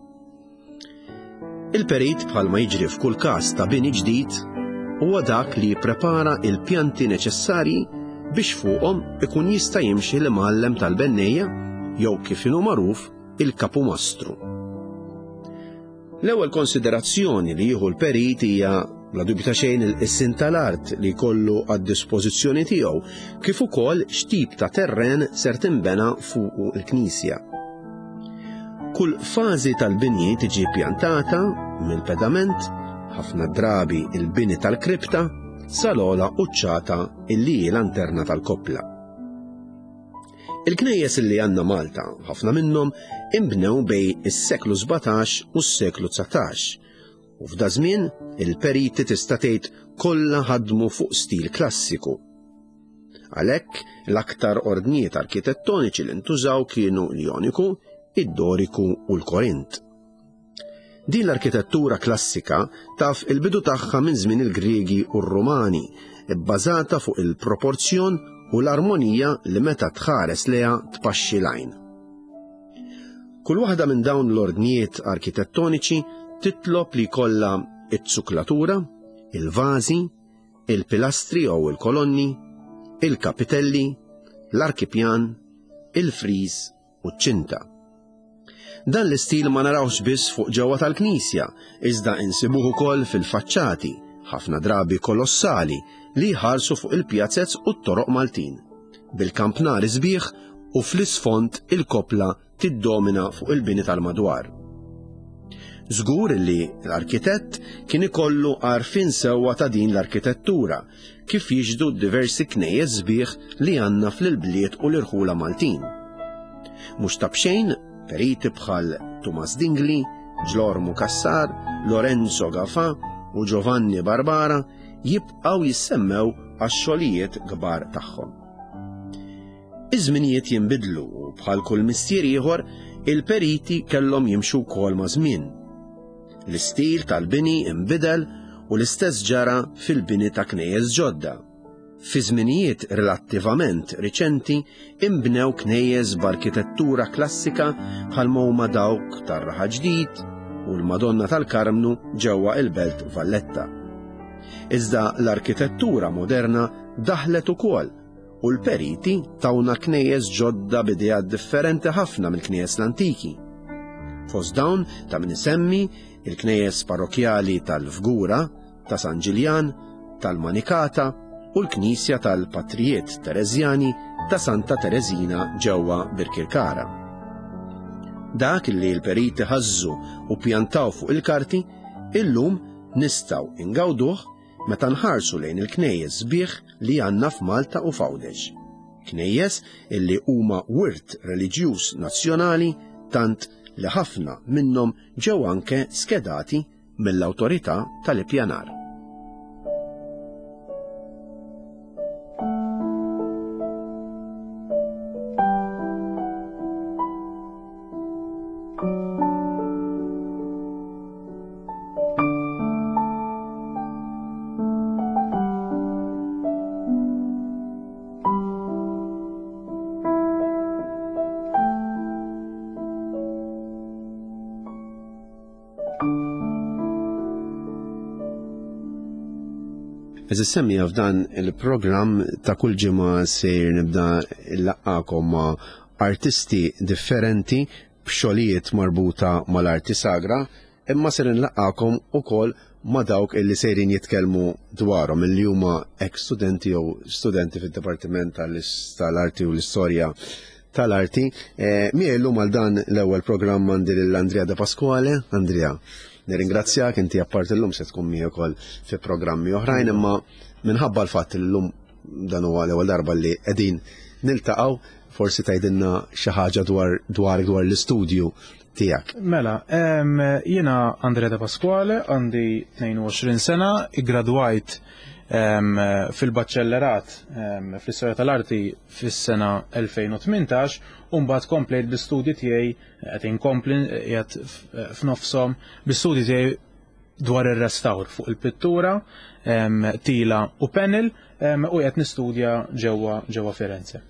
S1: Il-perit, bħalma jiġri f'kull każ ta' bini ġdid, huwa dak li jipprepara il-pjanti neċessarji biex fuqhom ikun jista' jimxi l-imgħallem tal-bennejja jew, kif inhu magħruf, il-kapumastru. L-ewwel konsiderazzjoni li jieħu l-perit hija bla dubju ta' xejn il-qisien tal-art li jkollu għad-dispożizzjoni tiegħu, kif ukoll x'tip ta' terren ser tinbena fuq il-knisja. Kull fażi tal-bini tiġi pjantata mill-pedament, ħafna drabi il-bini tal-kripta, sal-ogħla quċċata illi hi lanterna tal-koppla. Il-knejjes li għandna Malta, ħafna minnhom imbnew bejn is-seklu sbatax u s-seklu dsatax. U f'da żmien il-periti tista' tgħid kollha ħadmu fuq stil klassiku. Għalhekk l-aktar ordnijiet arkitettoniċi li ntużaw kienu l-Joniku, id-Doriku u l-Korint. Din l-arkitettura klassika taf il-bidu tagħha minn żmien il-Griegi u r-Rumani, bbażata fuq il-proporzjon u l-armonija li meta tħares lejha tpaxxi l-għajn. Kull waħda minn dawn l-ordnijiet arkitettoniċi titlob li jkollha it-suklatura, il-vażi, il-pilastri jew il-kolonni, il-kapitelli, l-arkipjan, il-friż u ċ-ċinta. Dan l-istil ma narawx biss fuq ġewwa tal-knisja, iżda insibuh ukoll fil-faċċati, ħafna drabi kolossali, li jħarsu fuq il-pjazez u t-toroq Maltin. Bil-kampnar sbieħ u fl-isfond il-kopla tiddomina fuq il-bini tal-madwar. Żgur li l-arkitett kien ikollu għarfien sewwa ta' din l-arkitettura, kif jixhdu diversi knejjes sbieħ li għandna fl-bliet u l-irħula Maltin. Mhux ta' b'xejn, periti bħal Tumas Dingli, Ġlormu Cassar, Lorenzo Gafà u Giovanni Barbara jibqgħu jissemmew għax-xogħlijiet kbar tagħhom. Iż-żminijiet jinbidlu u bħal kull mistier ieħor, il-periti kellhom jimxu wkoll ma' żmien. L-istil tal-bini inbidel u l-istess ġara fil-bini ta' knejjes ġodda. Fi żminijiet relattivament riċenti imbnew knejjes b'arkitettura klassika bħalma huma dawk tar-Raħal Ġdid u l-Madonna tal-Karmnu ġewwa il-Belt Valletta. Iżda l-arkitettura moderna daħlet ukoll u l-periti tawna knejjes ġodda b'ideat differenti ħafna mill-knejjes l-antiki. Fost dawn ta' min isemmi il-knejjes parrokjali tal-Fgura, ta' San Ġiljan, tal-Manikata u l-Knisja tal-Patrijiet Tereżjani ta' Santa Tereżina ġewwa Birkirkara. Dak li l-periti ħażżu u pjantaw fuq il-karti, illum nistgħu ingawduh meta nħarsu lejn il-knejjes sbieħ li għandna f'Malta u f'Għawdex. Knejjes illi huma wirt reliġjuż nazzjonali, tant li ħafna minnhom ġew anke skedati mill-awtorità tal-ippjanar. Għeżież semmiegħa, f'dan il-programm ta' kull ġimgħa sejr nibda nlaqqagħkom ma' artisti differenti b'xogħlijiet marbuta mal-arti sagra, imma ser nlaqqagħkom ukoll ma' dawk illi sejrin jitkellmu dwarhom, illi huma ex studenti jew studenti fid-Dipartiment tal-Arti u l-Istorja tal-arti. Eh, Miegħi llum għal dan l-ewwel programm għandi lil Andrea De Pasquale. Andrea, nirringrazzjak, inti apparti llum se tkun miegħi wkoll fi programmi oħrajn, imma minħabba l-fatt li llum dan huwa l-ewwel darba li qegħdin niltaqgħu, forsi tgħidilna xi ħaġa dwar dwar dwar l-istudju tiegħek.
S3: Mela, em, jiena Andrea De Pasquale, għandi tnejn u għoxrin sena, iggradwajt em, fil-baċellerat em, fl-istorja tal-arti fis-sena elfejn u tmintax u mbagħad komplejt bl-istudji tiegħi, qed inkompli, qiegħed f'nofshom bl-istudji tiegħi dwar ir-restawr fuq il-pittura, em, tila u panel em, u qed nistudja ġewwa ġewwa Firenze.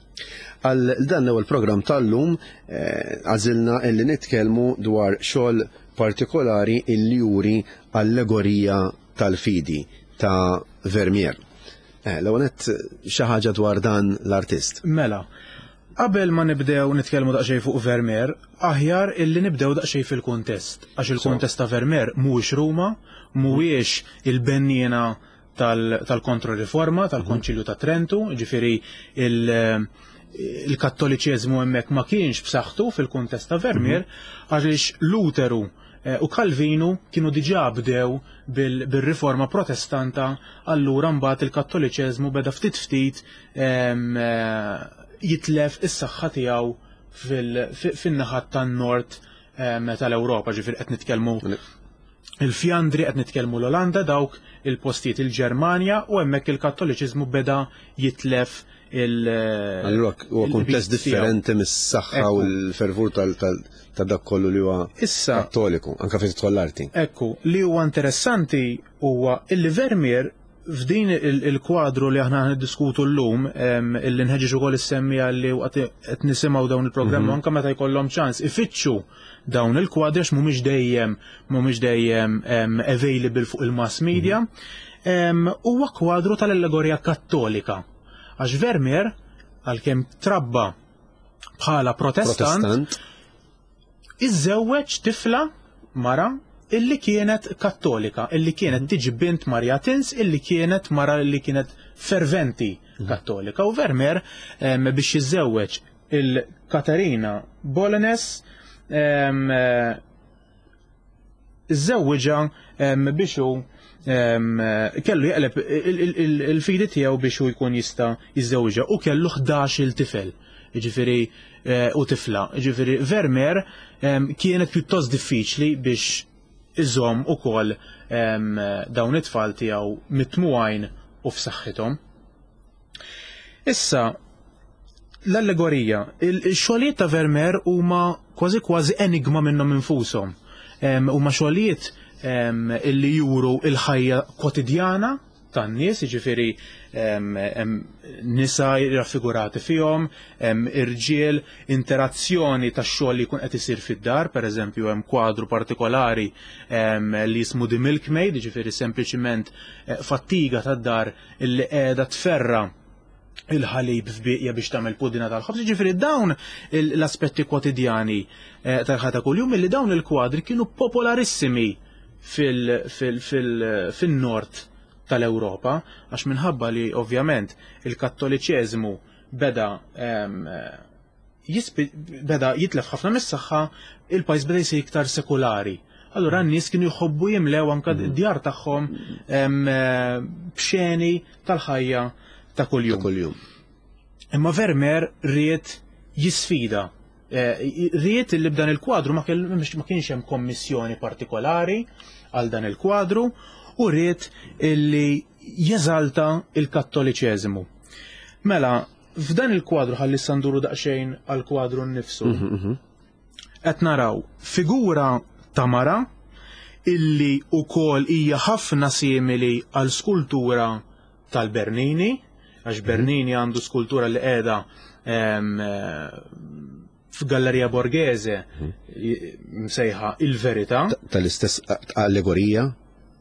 S1: Għal dan l-ewwel programm tal-lum eh, għażilna illi nitkellmu dwar xogħol partikolari illi juri allegorija tal-fidi ta' Vermeer. Eh, L-ewwel nett, xi ħaġa dwar dan l-artist.
S3: Mela, qabel ma nibdew nitkellmu daqsxejn fuq Vermeer, aħjar illi nibdew daqsxejn fil-kuntest. Għax il-kuntest ta' Vermeer mhuwiex Ruma, mhuwiex il-benniena tal-Kontroriforma, tal-Konċilju ta' Trentu, ġifieri il- il-kattoliċeżmu hemmhekk ma kienx b'saħħtu fil-kuntest ta' Vermeer, għaliex Luteru eh, u Calvinu kienu diġà bdew bil- bil-riforma protestanta, allura mbagħad il-kattoliċeżmu beda ftit ftit em, eh, jitlef is-saħħa tiegħu fil- fi- fin-naħat tan-nord em, tal-Ewropa, ġifieri qed nitkellmu il-Fjandri, qed nitkellmu l-Olanda, dawk il-postijiet, il-Ġermanja, u hemmhekk il-kattoliċiżmu beda jitlef il-
S1: Allura huwa kuntest
S3: il-bit tiegħu.
S1: differenti mis-saħħa u
S3: Ekku.
S1: l-fervur tal- tal- ta' dak kollu li huwa
S3: Issa,
S1: kattoliku, anka fejn tidħol l-arti.
S3: Ekku, li huwa interessanti huwa illi Vermeer f'din il- il-kwadru li aħna niddiskutu llum, em, illi nħeġġeġ ukoll is-semmiegħa li waqt qed nisimgħu dawn il-programmi, anke meta jkollhom ċans ifittxu dawn il-kwadri, għax mhumiex dejjem mhumiex dejjem em, available fuq il-mass media, em, huwa kwadru tal-allegorija kattolika. Għax Vermeer, għalkemm trabba bħala protestant,
S1: Protestant.
S3: iżżewweġ tifla, mara illi kienet kattolika, illi kienet tiġi bint Maria Tins, illi kienet mara illi kienet ferventi kattolika. U Vermeer em, biex jiżżewweġ il-Katarina Bollanés em, eh, iżżewwiġha em, biex hu em, kellu jaqleb il- il- il- il-fidi tiegħu biex hu jkun jista' jiżżewwiġha u kellu ħdax-il tifel. Ġifieri eh, u tifla. Ġifieri Vermeer em, kienet pjuttost diffiċli biex iżomm ukoll em, dawn it-tfal tiegħu mitmugħin u f'saħħithom. Issa, l-allegorija, il-xogħlijiet ta' Vermeer huma kważi kważi enigma minnhom infushom. Em, Huma xogħlijiet em, illi juru il-ħajja kwotidjana tan-nies, jiġifieri em, em, nisa raffigurati fihom, em, irġiel, interazzjoni tax-xogħol li jkun qed isir fid-dar, pereżempju hemm kwadru partikolari em, li jismu The Milkmaid, jiġifieri sempliċiment eh, fattiga tad-dar illi qiegħda tferra il-ħalib f'bieqja biex tagħmel pudina tal-ħobż. Ġifieri dawn il- l-aspetti kwotidjani eh, tal-ħajja ta' kuljum illi dawn il-kwadri kienu popolarissimi fil- fil- fil- fin-nord tal-Ewropa, għax minħabba li ovvjament il-kattoliċeżmu beda em, eh, jispi, beda jitlef ħafna mis-saħħa, il-pajjiż beda jsir iktar sekulari. Allura n-nies kienu jħobbu jimlew anka d-djar tagħhom em, eh, b'xeni tal-ħajja ta' kuljum.
S1: Ta' kuljum.
S3: Imma Vermeer ried jisfida. Eh, Ried li b'dan il-kwadru ma kell- ma kienx hemm kommissjoni partikolari għal dan il-kwadru u ried illi jeżalta il-kattoliċeżmu. Mela, f'dan il-kwadru, ħalli sanduru daqsxejn għal-kwadru nnifsu. Qed naraw figura ta' mara illi ukoll hija ħafna simili għal skultura tal-Bernini, għax Bernini għandu skultura li qiegħda em, eh, f'Galleria Borghese i- msejħa Il-Verità.
S1: Tal-istess allegorija.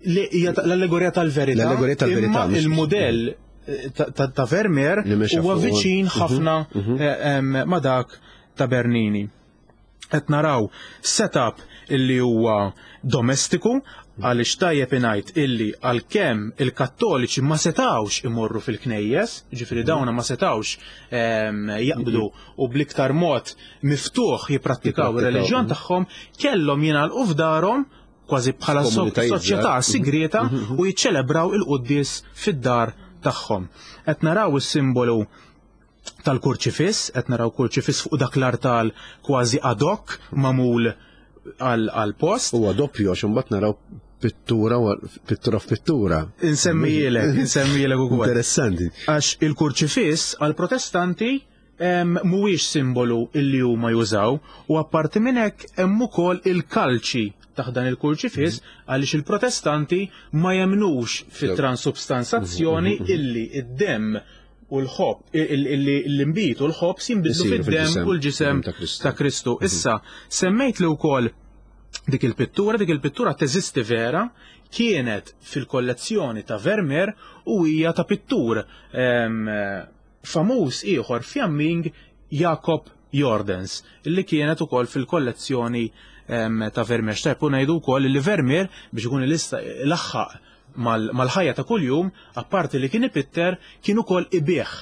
S3: Li hija ta- l-allegorija tal-verità.
S1: L-allegorija tal-verità,
S3: Imma
S1: mhux-
S3: il-modell eh, ta- ta' ta' Vermeer
S1: Li mexa
S3: huwa
S1: fuq-
S3: viċin ħafna eh, em, ma' dak ta' Bernini. Qed naraw setup illi huwa domestiku, Għaliex tajjeb ingħid illi għalkemm il-Kattoliċi ma setawx imorru fil-knejjes, ġifieri dawna ma setawx jaqbdu u bl-iktar mod miftuħ jipprattikaw ir-reliġjon tagħhom, kellhom jingħalqu f'darhom kważi bħala soċjetà sigrieta u jiċċelebraw il-quddies fid-dar tagħhom. Qed naraw is-simbolu tal-kurċifiss, qed naraw kurċifiss fuq dak l-artal kważi ad hoc magħmul għal post.
S1: Huwa doppju għax imbagħad naraw pittura pittura f'pittura.
S3: Insemmijilek, insemmijilek ukoll.
S1: Interessanti.
S3: Għax il-kurċifiss għal-protestanti mhuwiex simbolu illi huma jużaw u apparti minn hekk hemm ukoll il-kalċi taħt dan il-kurċifiss għaliex il-protestanti ma jemnux fit-transubstanzazzjoni illi id-demm u l-ħob, l-imbit u l-ħobż jinbidlu fid-demm u l-ġisem ta' Kristu. Issa, semmejt li wkoll dik il-pittura, dik il-pittura teżisti vera, kienet fil-kollezzjoni ta' Vermeer u hija ta' pittur famuż ieħor Fjamming, Jacob Jordens, illi kienet ukoll fil-kollezzjoni ta' Vermeer. Xtajb u ngħidu wkoll li Vermeer, biex ikun laħħaq mal-ħajja ta' kuljum, apparti li kien ipitter, kien ukoll ibigħ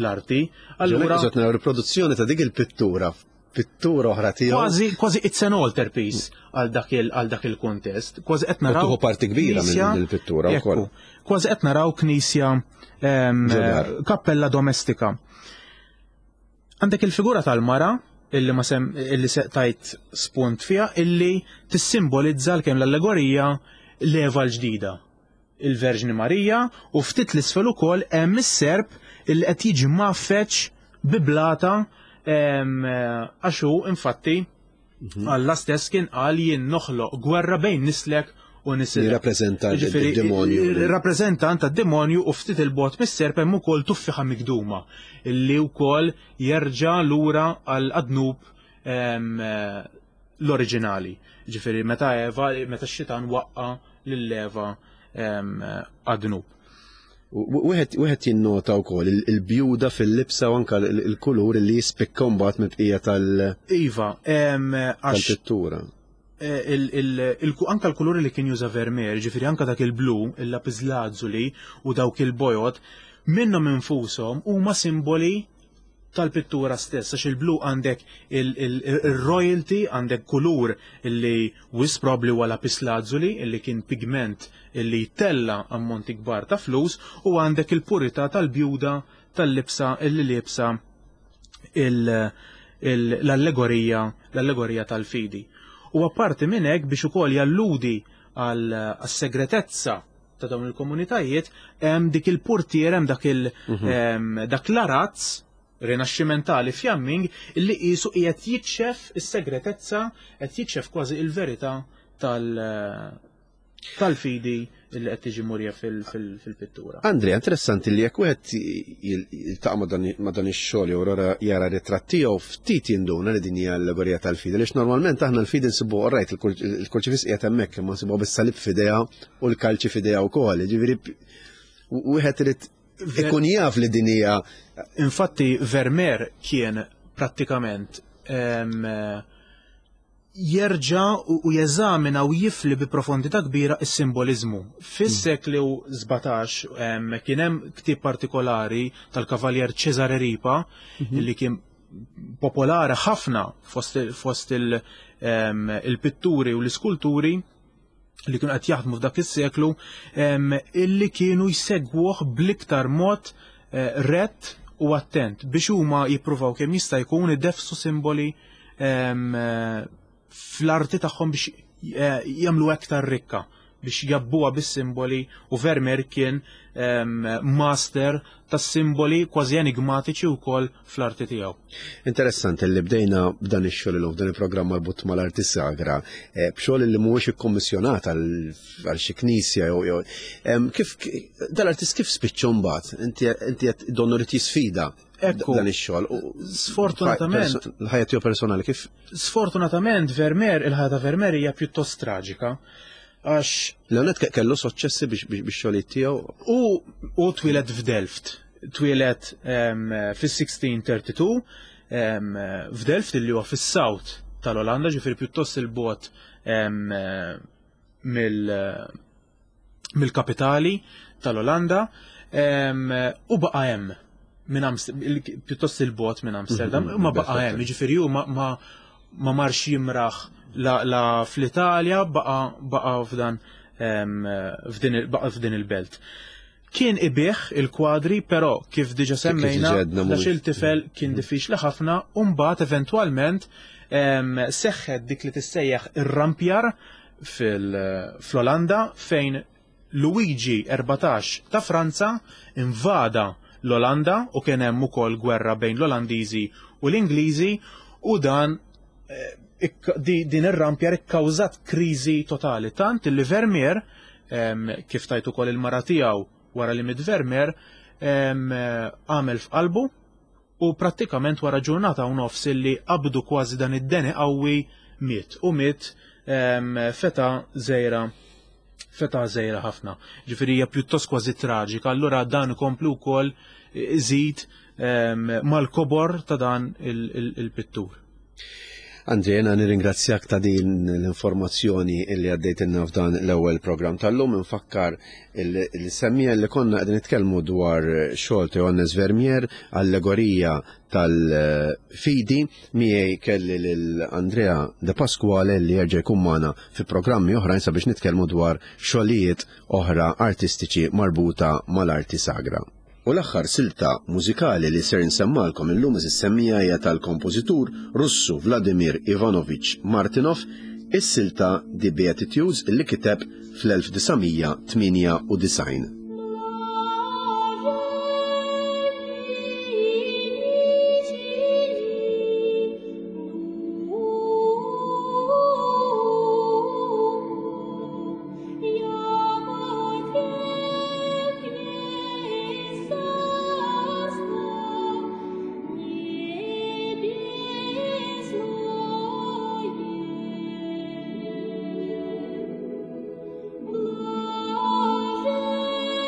S3: l-arti.
S1: Allura naraw riproduzzjoni ta' dik il-pittura, pittura oħra tiegħu.
S3: Kważi kważi it's an altarpiece għal dak il għal dak il-kuntest. Kważi qed naraw
S1: parti kbira minn il-pittura wkoll.
S3: Kważi qed naraw knisja, kappella domestika. Għandek il-figura tal-mara illi ma sem illi tajt spunt fiha, illi tissimbolizza l-kemm l-allegorija l-Eva l-ġdida, il-Verġni Marija, u ftit l-isfel ukoll hemm is-serp illi qed jiġi maffeċ bi blata, għax hu infatti Alla stess kien qal: "Jien noħloq gwerra bejn nislek u nisilek."
S1: Jirrappreżenta il-demonju.
S3: Rappreżentant tad-demonju, u ftit il-bogħod mis-serp hemm ukoll tuffiħa migduma illi wkoll jerġa' lura għal għad-dnub l-oriġinali. Ġifieri meta Eva, meta x-xitan waqqa lil Eva għad-dnub.
S1: Wieħed jinnota wkoll il-bjuda fil-libsa u anka il-kulur li jispikka mbagħad mill-bqija tal-
S3: Iva,
S1: tal-pittura.
S3: Anka l-kuluri li kien juża Vermeer, ġifieri anka dak il-blu, il-lapislazzuli u dawk il-bojod, minnhom infushom huma simboli tal-pittura stess, għax il-blu għandek il-royalty, għandek kulur illi wisq probably huwa lapislazzuli, illi kien pigment illi tella ammonti kbar ta' flus, u għandek il-purità tal-bjuda tal-libsa illi libsa l-allegorija l-allegorija tal-fidi. U apparti minn hekk, biex ukoll jalludi għal segretezza ta' dawn il-komunitajiet, hemm dik il-portier, hemm dak il mhm. dak l-arazz rinaxximentali Fjamming illi qisu qiegħed jikxef is-segretezza, qed jikxef kważi il-verità tal- tal-fidi illi qed tiġi murija fil-pittura.
S1: Andrea, interessanti li jekk wieħed jiltaqa' ma' dan ix-xogħol jew jara ritratt tiegħu, ftit jinduna li din hija allegorija tal-fidi, għaliex normalment aħna l-fidi nsibu rajt il-kurċifiss qiegħed hemmhekk, imma nsibuha bis-salib f'idejha u l-kalċi f'idejha wkoll. Ġifieri wieħed irid ikun jaf li din hija.
S3: Infatti Vermeer kien prattikament jerġa u jeżamina u jifli bi profondità kbira is-simbolizmu. Fis-seklu sbatax kien hemm ktieb partikolari tal-Kavaljer Cesare Ripa mhm. li kien popolari ħafna fost, fost il-pitturi u l-iskulturi li kienu qed jaħdmu f'dak is-seklu, illi kienu jsegwuh bl-iktar mod eh, rett u attent biex huma jippruvaw kemm jista' jkun idefsu simboli fl-arti tagħhom biex eh, jagħmlu aktar rikka, biex jgħabbuha bis-simboli, u Vermeer kien master tas-simboli kważi enigmatiċi wkoll fl-arti tiegħu.
S1: Interessanti li bdejna b'dan ix-xogħol illum f'dan il-programm marbut mal-arti sagra, eh, b'xogħol li mhuwiex ikkommissjonat għal xi knisja jew kif dal-artist kif spiċċa mbagħad? Inti inti qed donnu rid jisfida dan ix-xogħol.
S3: Sfortunatament
S1: il-ħajja tiegħu personali kif
S3: Sfortunatament Vermeer, il-ħajja ta' Vermeer hija pjuttost traġika. Għax
S1: Leonet kellu soċċessi biex biex xogħlijiet tiegħu.
S3: U u twieled f'Delft. Twieled fis-sixteen thirty-two f'Delft, illi huwa fis-south tal-Olanda, ġifieri pjuttost il-bogħod. mill-kapitali tal-Olanda u baqa' hemm minn pjuttost il-bot minn Amsterdam, ma baqa' hemm, jiġifieri hu ma ma marx jimraħ la fl-Italja, baqa' f'dan baqa' f'din il-belt. Kien ibih il-kwadri, però kif diġa semmejna, għax il-tifel kien diffiċli ħafna, u mbagħad eventwalment seħħet dik li tissejjaħ ir-rampjar fl-Olanda fejn Luigi erbatax ta' Franza invada l-Olanda u kien hemm ukoll gwerra bejn l-Olandiżi u l-Ingliżi, u dan din ir-rampjar ikkawżat kriżi totali, tant li Vermeer, kif tajt ukoll il-mara tiegħu wara li miet Vermeer, għamel f'qalbu u prattikament wara ġurnata u nofs illi qabdu kważi dan id-deni qawwi miet, u miet feta żgħira feta żgħira ħafna. Ġifieri hija pjuttost kważi traġika, allura dan ikompli wkoll iżid mal-kobor ta' dan il-pittur.
S1: Andrea, jena nirringrazzjak ta' din l-informazzjoni illi għaddejtilna f'dan l-ewwel programm tal-lum. Nfakkar il-semmija li konna qegħdin nitkellmu dwar xogħol ta' Johannes Vermeer, allegorija tal-fidi. Miegħi kelli lil Andrea De Pasquale li jerġa' jkun magħna fi programmi oħrajn sabiex nitkellmu dwar xogħlijiet oħra artistiċi marbuta mal-arti sagra. U l-aħħar silta mużikali li ser nsemmalkom illum is-semmija hija tal-kompożitur Russu Vladimir Ivanovich Martinov, is-silta The Beatitudes li kiteb fl-elf disa' mija tmienja u disgħin.
S4: Love.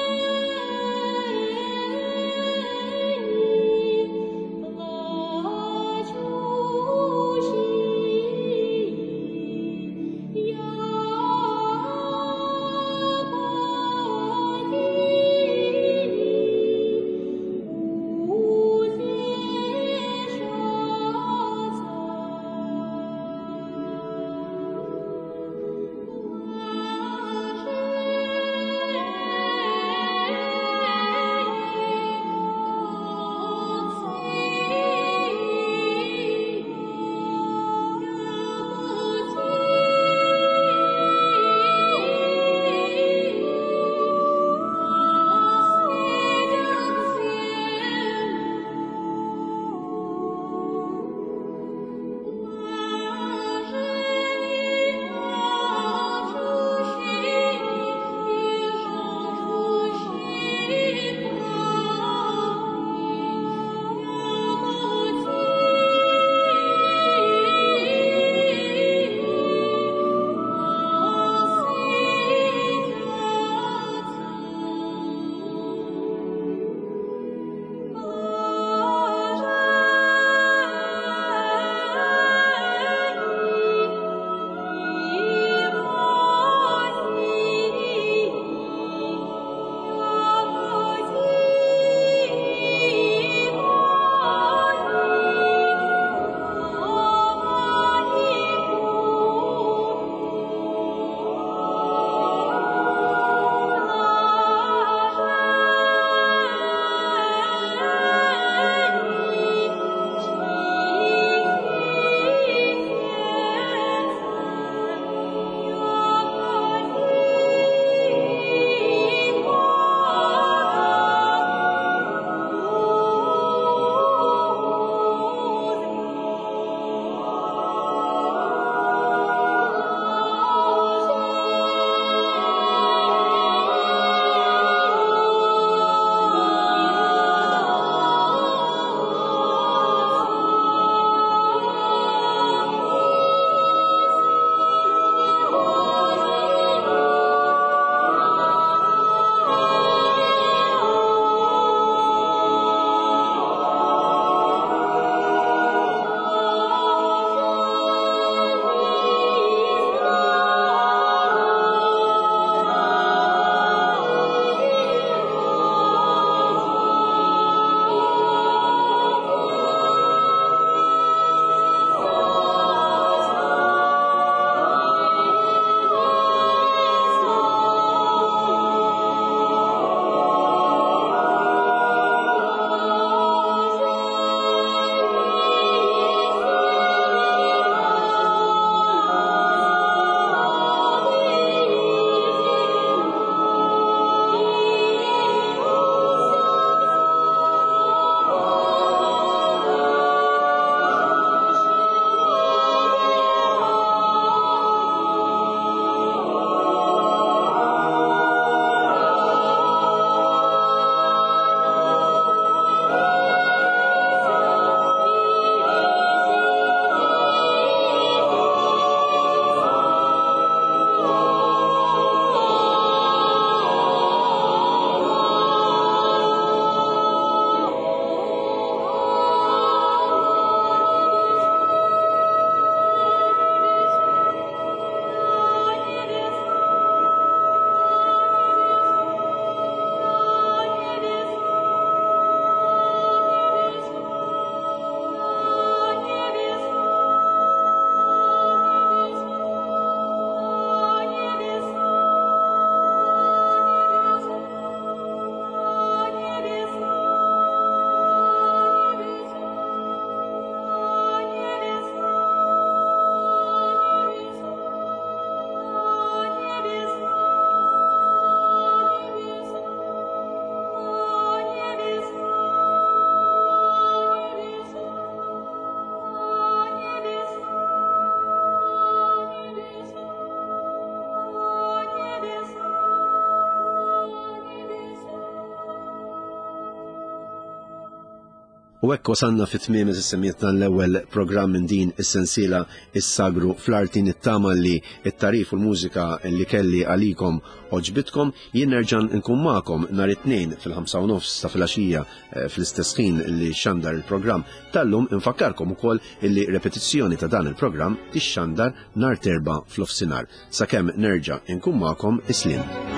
S1: U hekk wasalna fi tmiem is-semmiet l-ewwel programm minn din is-sensiela Is-Sagru fl-Arti. Nittama li t-tagħrif u l-mużika li kelli għalikom għoġbitkom. Jien nerġa' nkun magħkom nhar it-Tnejn fil-ħamsa u nofs ta' filgħaxija eh, fl-istess ħin li xandar il-programm tal-lum. Infakkarkom ukoll illi repetizzjoni ta' dan il-programm tixxandar nhar t'Erbgħa f'nofsinhar. Sakemm nerġa' nkun magħkom, is-sliem.